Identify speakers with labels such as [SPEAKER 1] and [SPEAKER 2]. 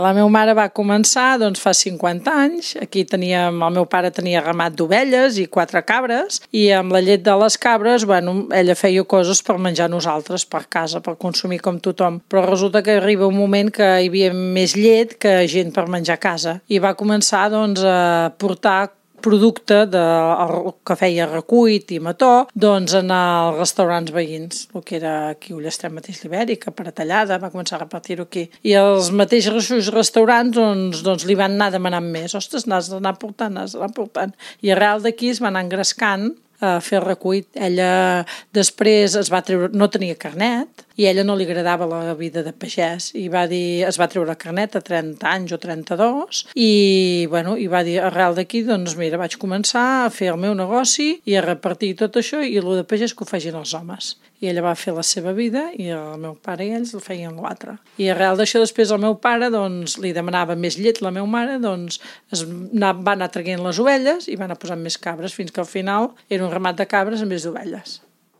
[SPEAKER 1] La meva mare va començar fa 50 anys. Aquí el meu pare tenia ramat d'ovelles i 4 cabres, i amb la llet de les cabres, ella feia coses per menjar nosaltres per casa, per consumir com tothom. Però resulta que arriba un moment que hi havia més llet que gent per menjar a casa, i va començar a portar producte que feia recuit i mató en els restaurants veïns, el que era aquí a Ullastrell mateix, l'Ibèrica, Paratallada, va començar a repartir-ho aquí. I els mateixos restaurants li van anar demanant més. Ostres, n'has d'anar portant. I arrel d'aquí es va anar engrescant a fer el recuit. Ella després no tenia carnet, i a ella no li agradava la vida de pagès, i es va treure carnet a 30 anys o 32, i va dir, arrel d'aquí, mira, vaig començar a fer el meu negoci i a repartir tot això, i el de pagès que ho facin els homes. I ella va fer la seva vida, i el meu pare i ells el feien l'altre. I arrel d'això, després el meu pare li demanava més llet, la meva mare, va anar traient les ovelles i va anar posant més cabres, fins que al final era un ramat de cabres en vez d'ovelles.